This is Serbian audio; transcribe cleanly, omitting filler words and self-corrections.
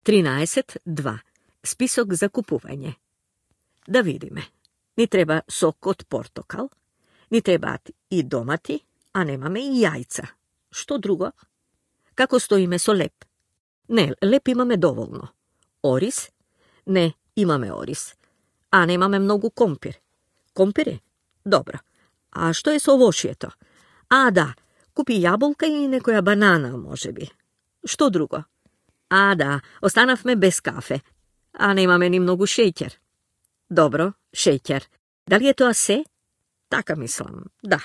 13.2. Spisok za kupuvanje. Da vidime. Ni treba sok od portokal, ni treba i domati, a nemame i jajca. Što drugo? Kako stoji meso lep? Ne, lep imame dovoljno. Oris? Ne, imame oris. A nemame mnogo kompir. Kompiri? Dobro. A što je s ovošijeto? A da, kupi jabolka i nekoja banana, može bi. Što drugo? A da, ostanav me bez kafe. A nemame ni mnogo šećer. Dobro, šećer. Da li je to ase? Taka mislim, da.